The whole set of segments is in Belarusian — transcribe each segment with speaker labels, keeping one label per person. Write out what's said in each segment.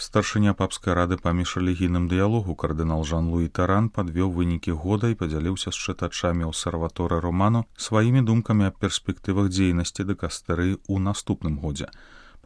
Speaker 1: Старшыня папскай рады па міжрэлігійным дыялогу кардынал Жан-Луі Таран падвёў вынікі года і падзяліўся з чытачамі Осерваторы Романо сваімі думкамі аб перспектывах дзейнасці дыкастэрыі ў наступным годзе.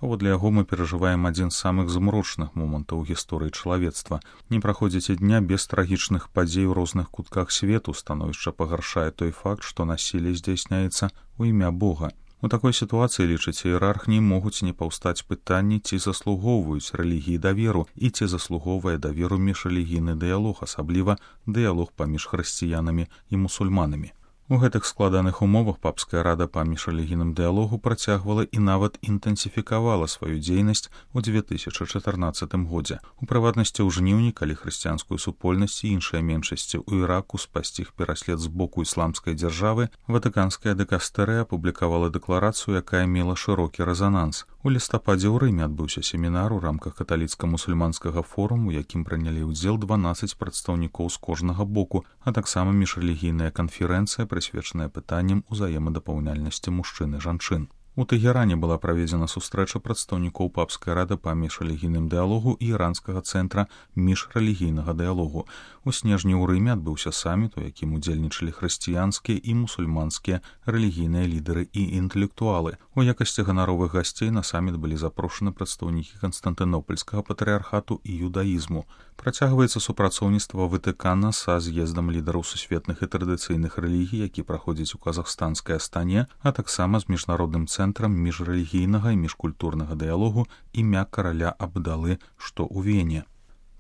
Speaker 1: Паводле яго мы перажываем адзін з самых змрочных момантаў у гісторыі чалавецтва. Не праходзіць і дня без трагічных падзей у розных кутках свету, становішча пагаршае той факт, што насілле здзяйсняецца ў імя Бога. У такой сітуацыі, лічыць іерарх, не могуць не паўстаць пытанні, ці заслугоўваюць рэлігіі даверу і ці заслугоўвае даверу міжрэлігійны дыялог, асабліва дыялог паміж хрысціянамі і мусульманамі. У гэтых складаных умовах папская рада па міжрэлігійным дыялогу працягвала і нават інтэнсіфікавала сваю дзейнасць у 2014 годзе. У прыватнасці ў жніўні, калі хрысціянскую супольнасць і іншыя меншасці ў Іраку спасціг пераслед з боку ісламскай дзяржавы, ватыканская дыкастэрыя апублікавала дэкларацыю, якая мела шырокі рэзананс. У лістападзе ў Рыме адбыўся семінар у рамках каталіцка-мусульманскага форуму, у якім прынялі ўдзел 12 прадстаўнікоў з кожнага боку, а таксама міжрэлігійная канферэнцыя, прысвечаная пытанням узаемадапаўняльнасці мужчын і жанчын. У Тэгеране была праведзена сустрэча прадстаўнікоў папскай рады па міжрэлігійным дыялогу і іранскага цэнтра міжрэлігійнага дыялогу. У снежні ў Рыме адбыўся саміт, у якім удзельнічалі хрысціянскія і мусульманскія рэлігійныя лідары і інтэлектуалы. У якасці ганаровых гасцей на саміт былі запрошаны прадстаўнікі Канстантынопольскага патрыархату і юдаізму. Працягваецца супрацоўніцтва Ватыкана са з'ездам лідараў сусветных і традыцыйных рэлігій, які праходзіць у казахстанскай Астане, а таксама з міжнародным цэнтрам міжрэлігійнага і міжкультурнага дыялогу імя караля Абдалы, што ў Вене.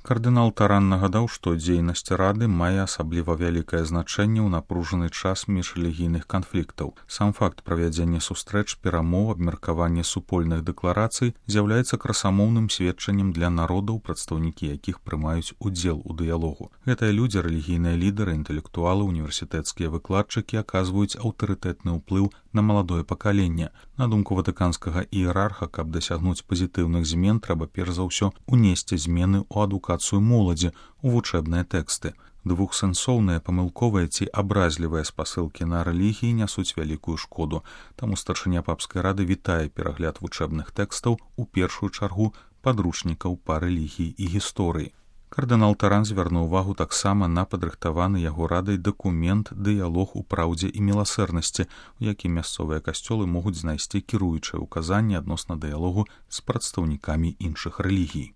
Speaker 1: Кардынал Таран нагадаў, што дзейнасць рады мае асабліва вялікае значэнне ў напружаны час міжрэлігійных канфліктаў. Сам факт правядзення сустрэч, перамоў, абмеркавання супольных дэкларацый з'яўляецца красамоўным сведчаннем для народаў, прадстаўнікі якіх прымаюць удзел у дыялогу. Гэтыя людзі, рэлігійныя лідары, інтэлектуалы, універсітэцкія выкладчыкі аказваюць аўтарытэтны ўплыў на маладое пакаленне. На думку ватыканскага іерарха, каб дасягнуць пазітыўных змен, трэба перш за ўсё унесці змены ў адукацыю моладзі, у вучэбныя тэксты. Двухсэнсоўныя, памылковыя ці абразлівыя спасылкі на рэлігіі нясуць вялікую шкоду. Таму старшыня папскай рады вітае перагляд вучэбных тэкстаў, у першую чаргу падручнікаў па рэлігіі і гісторыі. Кардынал Таран звярнуў увагу таксама на падрыхтаваны яго радай дакумент «Дыялог у праўдзе і міласэрнасці», у якім мясцовыя касцёлы могуць знайсці кіруючыя ўказанні адносна дыялогу з прадстаўнікамі іншых рэлігій.